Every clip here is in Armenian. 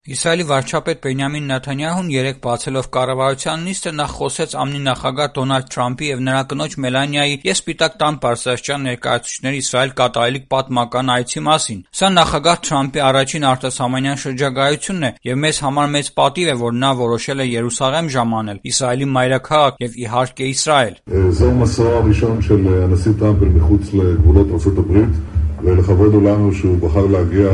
Իսրայելի վարչապետ Բենյամին Նեթանյահուն երեկ բացելով կառավարության նիստը նախ խոսեց ԱՄՆ նախագահ Դոնալդ Թրամփի և նրա կնոջ Մելանիայի և Սպիտակ տան բարձրաստիճան ներկայացուցիչների Իսրայել կատարելիք պատմական այցի մասին։ Սա նախագահ Թրամփի առաջին արտասահմանյան շրջագայությունն է և մեզ համար մեծ պատիվ է, որ նա որոշել է Երուսաղեմ ժամանել, Իսրայելի մայրաքաղաք և իհարկե Իսրայել։ זהו מסעו הראשון של הנשיא טראמפ מחוץ לגבולות ארצות הברית ולכבוד הוא לנו שהוא בחר להגיע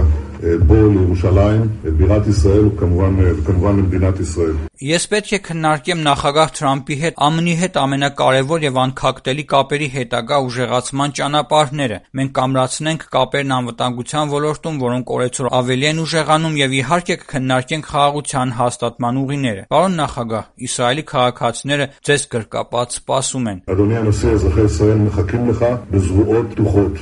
בו לירושלים, בירת ישראל וכמובן למדינת ישראל. Ես պետք է քննարկեմ նախագահ Թրամփի հետ ԱՄՆ-ի հետ ամենակարևոր և անքակտելի կապերի հետագա ուժեղացման ճանապարհները։ Մենք կամրացնենք կապերն անվտանգության ոլորտում, որոնք օրեցօր ավելի են ուժեղանում, և իհարկե կքննարկենք խաղաղության հաստատման ուղիները։ Պարոն նախագահ, Իսրայելի քաղաքացիները ձեզ գրկապատ սպասում են։ אדוני הנשיא, אזרחי ישראל מחכים לך בזרועות פתוחות.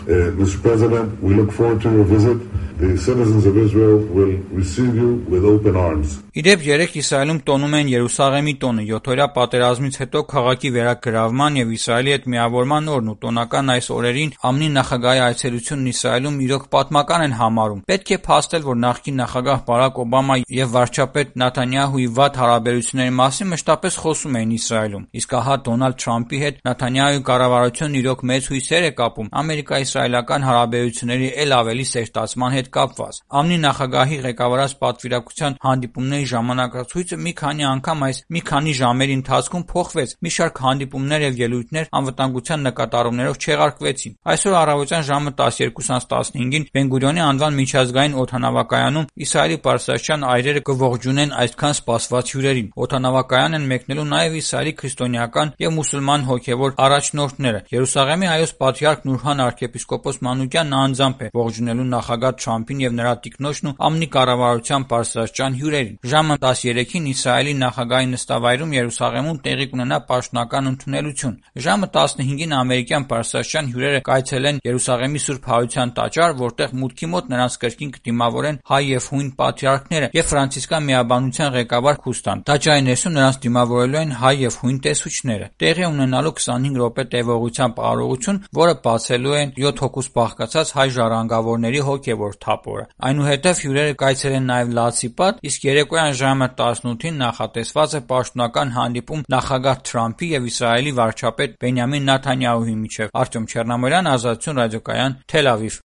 Mr. President, we look forward to your visit. The citizens of Israel will receive you with open arms. Իդեպ երեկ Իսրայելում տոնում են Երուսաղեմի տոնը, 7-օրյա պատերազմից հետո քաղաքի վերագրավման և Իսրայելի հետ միավորման օրն ու տոնական այս օրերին ԱՄՆ նախագահի այցելությունն Իսրայելում իրոք պատմական են համարում։ Պետք է փաստել, որ նախկին նախագահ Բարաք Օբամա և վարչապետ Նեթանյահուի վատ հարաբերությունների մասին մշտապես խոսում էին Իսրայելում։ Իսկ ահա Դոնալդ Թրամփի հետ Նեթանյահուի կառավարությունն իրոք մեծ հույսեր է կապում ամերիկա-իսրայելական հարաբերությունների էլ ավելի սերտացման հետ կապված։ ԱՄՆ նախագահի ղեկավարած պատվիրակության հանդիպումների ժամանակացույցը մի քանի անգամ այս մի քանի ժամերի ընթացքում փոխվեց, մի շարք հանդիպումներ և ելույթներ անվտանգության նկատառումներով չեղարկվեցին։ Այսօր առավոտյան ժամը 12:15-ին Բեն-Գուրիոնի անվան միջազգային օդանավակայանում Իսրայելի բարձրաստիճան այրերը կողջունեն այսքան սպասված հյուրերին։ Օդանավակայան են մեկնելու նաև Իսրայելի քրիստոնեական և մուսուլման հոգևոր առաջնորդները։ Երուսաղեմի Հայոց պատրիարք Նուրհան arczepiskopos Մանուկյանն անձամբ է ողջունելու նախագահ Թրամփին և նրա տիկնոջն ու ԱՄՆ կառավարության բարձրաստիճան հյուրերին։ Ժամը 13-ին Իսրայելի նախագահի նստավայրում Երուսաղեմում տեղի կունենա պաշտոնական ընդունելություն։ Ժամը 15-ին ամերիկյան բարձրաստիճան հյուրերը կայցելեն Երուսաղեմի Սուրբ Հարության տաճար, որտեղ մուտքի մոտ նրանց կրկին կդիմավորեն հայ և հույն պատրիարքները և ֆրանցիսկյան միաբանության ղեկավար Խուստան։ Տաճարի ներսում նրանց դիմավորելու են հայ և հույն տեսուչները։ Տեղի ունենալու 25 րոպե տևողությամբ արարողություն, որը բացելու են 7 հոգուց բաղկացած հայ ժառանգավորների հոգևոր թափորը։ Այնուհետև հյուրերը կայցելեն նաև Լացի պատ, իսկ երեկոյան ժամը 18-ին նախատեսված է պաշտոնական հանդիպում նախագահ Թրամփի և Իսրայելի վարչապետ Բենյամին Նեթանյահուի միջև։ Արտյոմ Չեռնամորյան, Ազատություն ռադիոկայան, Թել Ավիվ։